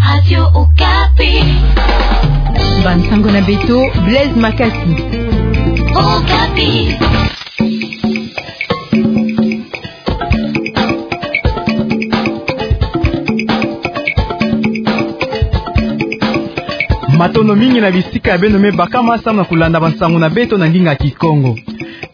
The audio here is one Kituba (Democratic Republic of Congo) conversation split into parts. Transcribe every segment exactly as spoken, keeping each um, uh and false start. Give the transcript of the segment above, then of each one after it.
Radio Okapi. Bansango na beto, Blaise Makasi. Okapi. Matondo mingi na bisika ya beno me bakama samu na kulanda bansango na beto na ndinga Kikongo.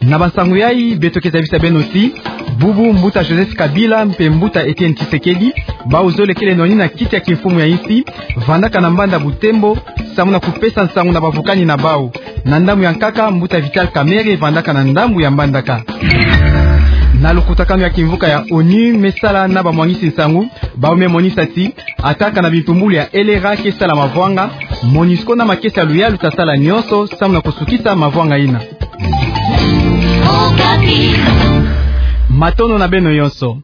Na bansango yai, beto ke zabisa beno ti bubu mbuta Joseph Kabila mpe mbuta Etienne Tshisekedi, bau zole kele noni na kiti ya kimfumu ya insi, vandaka na mbanza Butembo, samu na kupesa nsangu na bavukani na bau. Na ndambu ya nkaka, mbuta Vital Kamerhe vandaka na ndambu ya Mbandaka. Na lukutakanu ya kimvuka ya ONU me sala na bamwangisi nsangu, bau me monisa ti, ata kana bimpumbulu ya L R A ke sala mavwanga, MONUSCO na makesa ya luyalu ta sala nyonso samu na kusukisa mavwanga ina. Matondo na beno yonso.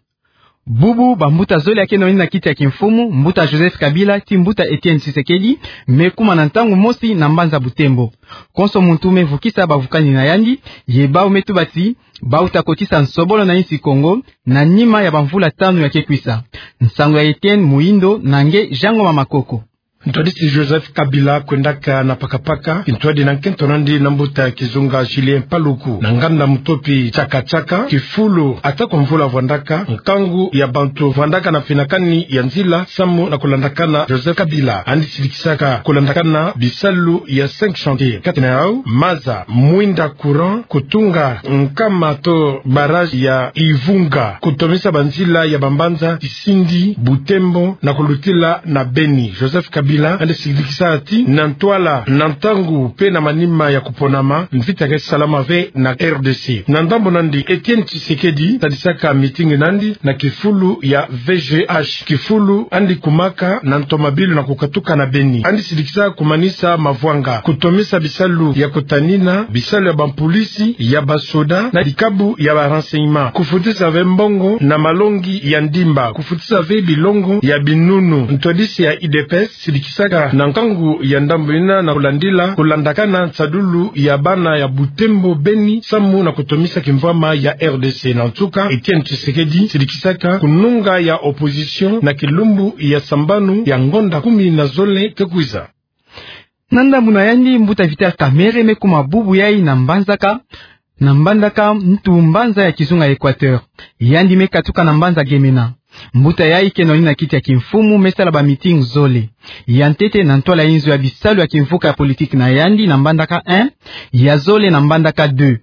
Bubu bambuta zole ya ke noni na kiti ya kimfumu, mbuta Joseph Kabila ti mbuta Etienne Tshisekedi, me kuma na ntangu mosi na mbanza Butembo. Konso muntu me vukisa bavukani na yandi, ye bau me tuba ti bau ta kotisa nsobolo na insi Kongo na nima ya bamvula tanu ya ke kwisa. Nsangu ya Etienne Muhindo na nge Jean Ngoma Makoko. Ntwadisi Joseph Kabila kwendaka na pakapaka kintwadi na nkento nandi na mbuta kizunga Julien Paluku na nganda Mutopi Chaka Chaka, kifulu ata kwa mvula vwandaka, nkangu ya bantu vwandaka na finakani ya nzila samu na kulandakana Joseph Kabila. Yandi silikisaka kulandakana bisalu ya cinq chantiers, kati na yau maza, mwinda courant, kutunga nkama to barrage ya Ivunga, kutomisa banzila ya bambanza Sindi, Butembo, na kulutila na Beni. Joseph Kabila yandi silikisa ti na ntwala, na ntangu mpe na manima ya kuponama, mvita ke salama ve na R D C. Na ndambu nandi, Etienne Tshisekedi tadisaka meeting nandi na kifulu ya V G H, kifulu yandi kumaka na ntomabilu na kukatuka na Beni. Yandi silikisa kumanisa mavwanga, kutomisa bisalu ya kutanina, bisalu ya bampulisi, ya basoda, na bikabu ya ba renseignements, kufutisa ve mbongo na malongi ya ndimba, kufutisa ve bilongo ya binunu. Ntwadisi ya U D P S silikisaka na nkangu ya ndambu ina na kulandila, kulandakana nsadulu ya bana ya Butembo Beni, samu na kutomisa kimvwama ya R D C. Na nsuka, Etienne Tshisekedi silikisaka kununga ya opposition na kilumbu ya sambanu ya ngonda kumi na zole ke kwiza. Na ndambu na yandi, mbuta Vital Kamerhe me kuma bubu yai na Mbanzaka, na Mbandaka, ntu mbanza ya kizunga Equateur. Yandi me katuka na mbanza Gemena. Mbuta yai ke noni na kiti ya kimfumu me sala ba meeting zole. Ya ntete na ntwala inzo ya bisalu ya kimvuka ya politique na yandi na Mbandaka un, ya zole na Mbandaka deux.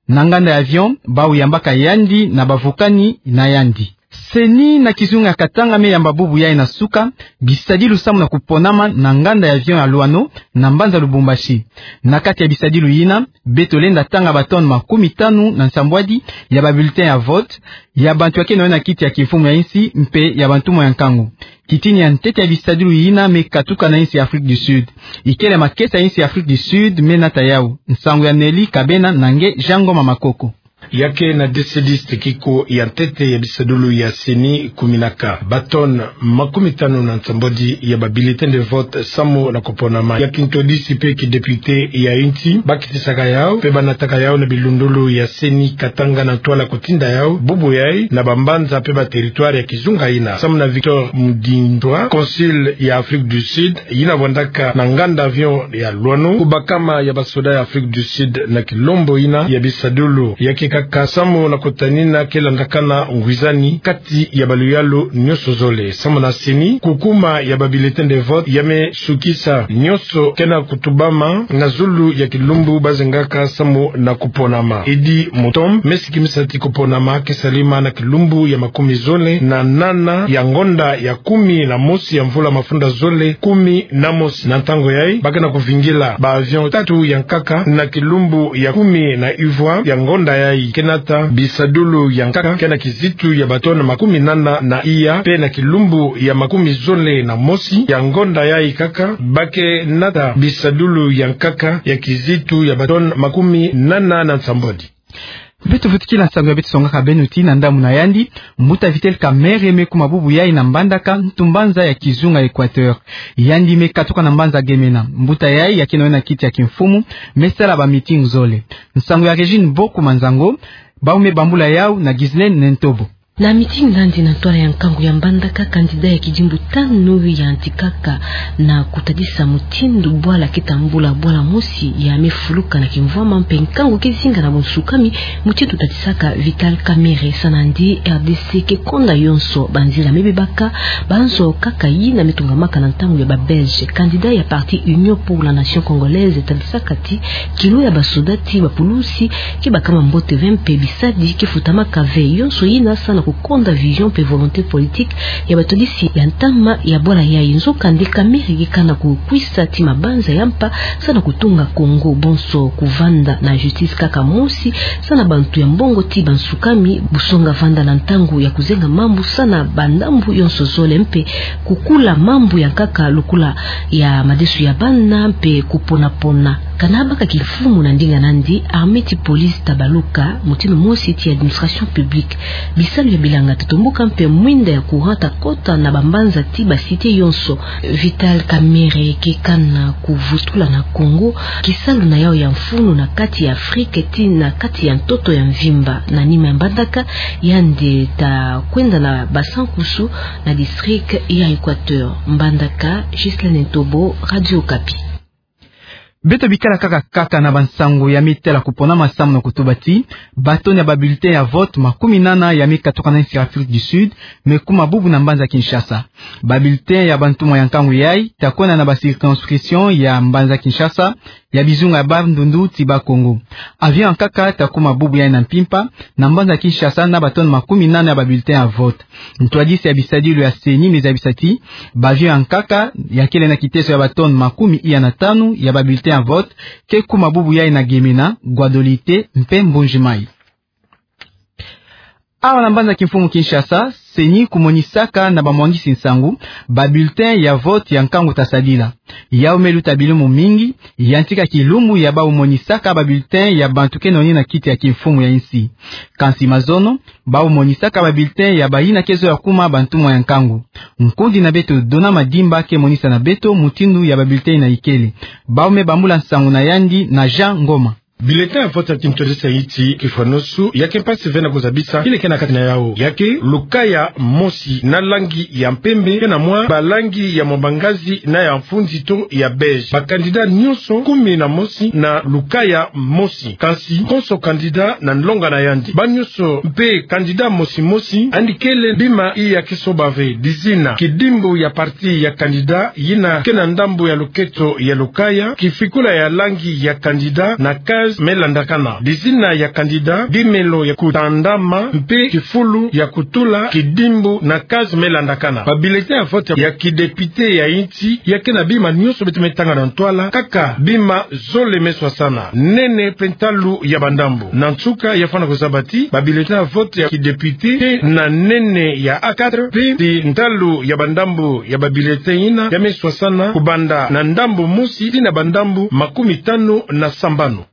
Na nganda ya avion, bau yambaka yandi na bavukani na yandi. CENI na kizunga ya Katanga me yamba bubu yai na suka bisadilu samu na kuponama na nganda ya avion ya Loano na mbanza Lubumbashi. Na kati ya bisadilu yina, beto lenda tanga ba tonnes makumi tanu na nsambwadi ya ba bulletins ya vote, ya bantu ya ke noni na kiti ya kimfumu ya insi mpe ya bantumwa ya nkangu. Kitini ya ntete ya bisadilu yina me katuka na insi ya Afrique du Sud. Ikele makesa ya insi ya Afrique du Sud me nata yau. Nsangu ya Nelly Kabena na nge Jean Ngoma Makoko. Ya ke na D C dix, tekiko ya ntete ya bisadilu ya CENI kuminaka ba tonnes makumi tanu na nsambwadi ya ba bulletins de vote samu na kuponama. Ya kintwadisi mpe kidéputé ya insi, bakitisaka yau mpe banataka yau na bilundulu ya CENI Katanga na ntwala kutinda yau bubu yai na bambanza mpe ba territoires ya kizunga yina. Samu na Victor Mudindwa, consul ya Afrique du Sud yina vwandaka na nganda avion ya Loano, kubakama ya basoda ya Afrique du Sud na kilombo yina ya bisadilu ya ke kaka samu na kutanina ke landakana ngwizani kati ya baluyalu nyonso zole. Samu na CENI, kukuma ya ba bulletins de vote ya me sukisa nyonso ke na kutubama na zulu ya kilumbu bazengaka samu na kuponama. Eddy Mutombo me sikimisa ti kuponama ke salama na kilumbu ya makumi zole na nana ya ngonda ya kumi na mosi ya mvula mafunda zole kumi na mosi. Na ntangu yai, ba ke na kuvingila ba avion tatu ya nkaka na kilumbu ya kumi na ivwa ya ngonda yai, ke nata bisadilu ya nkaka ke na kizitu ya ba tonnes makumi nana na iya, mpe na kilumbu ya makumi zole na mosi ya ngonda yai kaka, ba ke nata bisadilu ya nkaka ya kizitu ya ba tonnes makumi nana na nsambwadi. Beto vutukila nsangu ya beto songaka beno ti na ndambu na yandi, mbuta Vital Kamerhe me kuma bubu yai na Mbandaka, ntu mbanza ya kizunga Equateur. Yandi me katuka na mbanza Gemena. Mbuta yai ya ke noni na kiti ya kimfumu me sala ba meeting zole. Nsangu ya Régine Boku Manzango, bau me bambula yau na Ghislaine Nentobo. Na mitingi nandi na ntwala ya nkangu ya mbandaka, candidat ya kidimbu tanu yantikaka na kutadisa mutindu bwala ke tambula bwala mosi ya mefuluka na kimvwama mpe nkangu ke zinga na bunsukami, mutindu tadisaka Vital Kamerhe. Sa nandi, R D C ke konda yonso banzila mebebaka, banzo kaka yina metungamaka na ntangu ya ba Belge. Candidat ya parti Union pour la Nation Congolaise tadisaka ti kilo ya basoda ti bapulusi ke bakama mbote ve mpe bisadi ke futamaka ve. Yonso yina sa na kukonda vision mpe volonté politique ya batodisi ya ntama ya bwala yayi. Nzokande Kamerhe ke kana kukwisa ti mabanza ya mpa sa na kutunga Congo, bonso kuvanda na justice kaka mosi, sa na bantu ya mbongo ti bansukami, busonga vanda na ntangu ya kuzenga mambu sa na bandambu yonso zole mpe kukula mambu ya nkaka lokola ya madesu ya bana mpe kuponapona. Kana baka kimfumu na ndinga nandi, armée ti police tabaluka mutindu mosi ti administration publique. Bisalu ya bilanga tatomboka mpe mwinda ya courant takota na bambanza ti ba cité yonso. Vital Kamerhe ke kana kuvutula na Congo kisalu na yau ya mfunu na kati ya Afrique ti na kati ya ntoto ya mvimba. Na nima ya mbandaka, yandi takwenda na Basankusu na district ya Equateur. Mbandaka, Ghislaine Ntobo, Radio Okapi. Beto bikala kaka kaka na bansangu ya metela kuponama, samu na kutuba ti ba tonnes ya ba bulletins ya vote makumi nana ya mekatuka na insi ya Afrique du Sud mekuma bubu na mbanza Kinshasa. Ba bulletins ya bantumwa ya nkangu yayi takwenda na ba circonscriptions ya mbanza Kinshasa, ya bizunga ya Bandundu ti Bas-Congo. Avion ya nkaka takuma bubu yayi na mpimpa na mbanza Kinshasa na ba tonnes makumi nana ya ba bulletins ya vote. Ntwadisi ya bisadilu ya CENI mezabisa ti ba avion ya nkaka ya kele na kiteso ya ba tonnes makumi iya na tanu ya ba bulletins ya vote ke kuma bubu yayi na Gemena, Guadolite mpe Mbuji-Mayi. Awa na mbanza kimfumu Kinshasa, CENI kumonisaka na bamwangisi nsangu ba bulletins ya vote ya nkangu tasadila. Yau meluta bilumbu mingi, yantika kilumbu ya bau monisaka ba bulletins ya bantu ke noni na kiti ya kimfumu ya insi. Kansi mazono, bau monisaka ba bulletins ya bayina ke zola kuma bantumwa ya nkangu. Nkundi na beto Dona Madimba ke monisa na beto mutindu ya ba bulletins yina ikele. Bau me bambula nsangu na yandi na Jean Ngoma. Bulletin ya vote ya kintwadisi ya inti kifwanusu, ya ke mpasi ve na kuzabisa yina ke na kati na yau. Ya ke lukaya mosi na langi ya mpembe, ke na mwa balangi ya mwa bangazi na ya mfunzi to ya beige. Ba candidats nyonso kumi na mosi na lukaya mosi. Kansi konso candidat na nlonga na yandi. Ba nyonso mpe candidat mosi mosi, yandi kele bima iya ke soba ve: dizina, kidimbu ya parti ya candidat yina ke na ndambu ya luketo ya lukaya, kifikula ya langi ya candidat na case me landakana, dizina ya candidat, bimelo ya kutandama mpe kifulu ya kutula kidimbu na case me landakana. Ba bulletins ya vote ya kidéputés ya inti ya ke na bima nyonso beto me tanga na ntwala, kaka bima zole me swasana, nene mpe ntalu ya bandambu. Na nsuka, ya fwana kuzaba ti ba bulletins ya vote ya kidéputés ke na nene ya A quatre, mpe ti ntalu ya bandambu ya ba bulletins yina ya me swasana kubanda na ndambu mosi tii na bandambu makumi tanu na sambanu.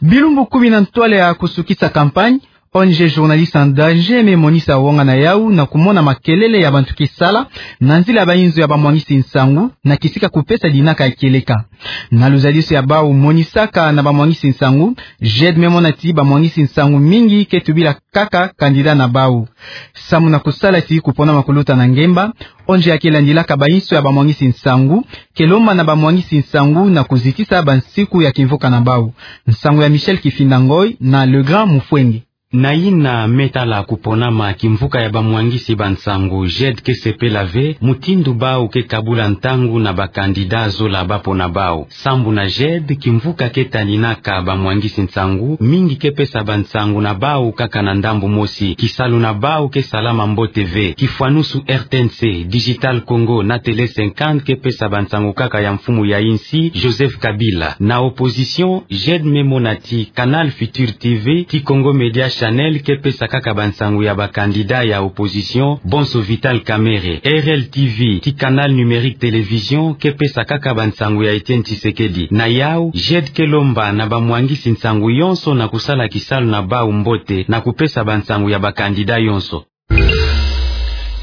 Bilumbu kumi na ntwala ya kusukisa campagne, O N G Journalistes en Danger me monisa wonga na yau na kumona makelele ya bantu ke sala na nzila ya bayinzo ya bamwangisi nsangu na kisika kupesa dinaka ya kieleka. Na luzaliso ya bau monisaka na bamwangisi nsangu, J E D me mona ti bamwangisi nsangu mingi ke tubila kaka candidat na bau. Samu na kusala ti kuponama kuluta na ngemba, O N G ya ke landilaka bayinso ya bamwangisi nsangu ke lomba na bamwangisi nsangu na kuzitisa bansiku ya kimvuka na bau. Nsangu ya Michel Kifinda Ngoy na Le Grand Mufwenge. Na yina me tala kuponama kimvuka ya bamwangisi bansangu, J E D ke sepela ve mutindu bau ke kabula ntangu na ba candidats zola bapona bau. Sambu na J E D, kimvuka ke taninaka bamwangisi nsangu, mingi ke pesa bansangu na bau kaka na ndambu mosi. Kisalu na bau ke salama mbote ve. Kifwanusu R T N C, Digital Congo na Télé cinquante ke pesa bansangu kaka ya mfumu ya insi, Joseph Kabila. Na opposition, J E D me mona ti Canal Futur T V, ti Congo Media Channel ke pesa kaka bansangu ya ba candidats ya opposition, bonso Vital Kamerhe. R L T V, ti Canal Numérique Télévision, ke pesa kaka bansangu ya Etienne Tshisekedi. Na yau, J E D ke lomba na bamwangisi nsangu yonso na kusala kisalu na bau mbote na kupesa bansangu ya ba candidats yonso.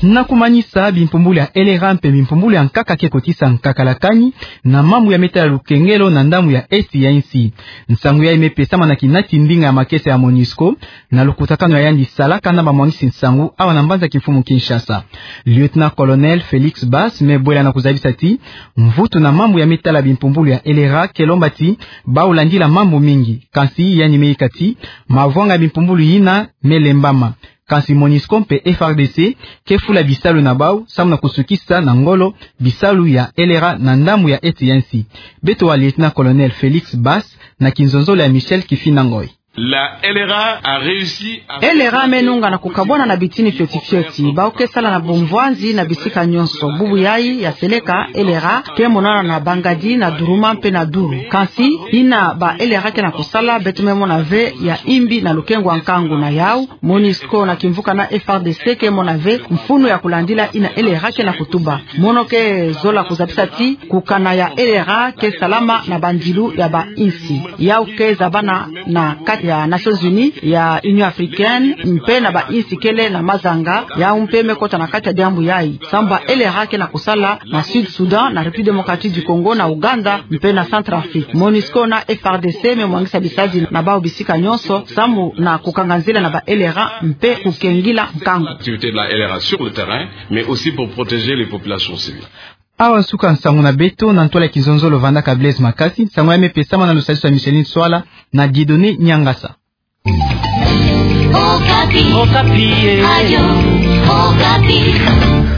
Na kumanisa bimpumbulu ya L R A mpe bimpumbulu ya nkaka ke kotisa nkaka la kani na mambu ya metala lukengelo na ndambu ya esti ya insi. Nsangu yayi mepesama na kinati ndinga ya makesa ya MONUSCO na lukutakanu ya yandi salaka na bamwangisi nsangu awa na mbanza kimfumu Kinshasa. Lieutenant-colonel Felix Basse mebwela na kuzabisa ti mvutu na mambu ya metala bimpumbulu ya L R A ke lomba ti bau landila mambu mingi. Kansi yandi meyika ti mavwanga ya bimpumbulu yina melembama. Kansi MONUSCO mpe F R D C ke fula bisalu na bau samu na kusukisa na ngolo bisalu ya L R A na ndambu ya esti ya insi. Beto wa Lieutenant-colonel Felix Basse na kinzonzolo ya Michel Kifina Ngoy. La L R A a réussi à... L R A menunga na kukabwana na bitini fioti fioti. Bau ke sala na bumvwanzi na bisika nyonso. Bubu yayi ya seleka, L R A ke monana na Bangadi, na Duruma mpe na Duru. Kansi yina ba L R A ke na kusala, beto memona ve ya imbi na lukengo wa nkangu na yau. MONUSCO na kimvuka na F R D C ke mona ve mfunu ya kulandila yina L R A ke na kutuba. Mono ke zola kuzabisa ti kukana ya L R A ke salama na bandilu ya bainsi. Yau ke zabana na kati ya Nations Unies, ya Union Africaine, mpe na bainsi kele na mazanga, yau mpe mekota na kati ya diambu yayi. Samu ba L R A ke na kusala na Sud Soudan, na République Démocratique du Congo, na Ouganda, mpe na Centrafrique. MONUSCO na F R D C memwangisa bisalu na bau bisika nyonso, samu na kukanga nzila na ba L R A mpe kukengila nkangu. Activité de la L R A sur le terrain, mais aussi pour protéger les populations civiles. Awa suka nsangu na beto, na ntwala ya kinzonzolo vandaka Blaise Makasi, nsangu yayi mepesama na lusadisu ya Micheline Swala na Dieudonné Niangasa. Okapi. Okapi, eh. Radio Okapi.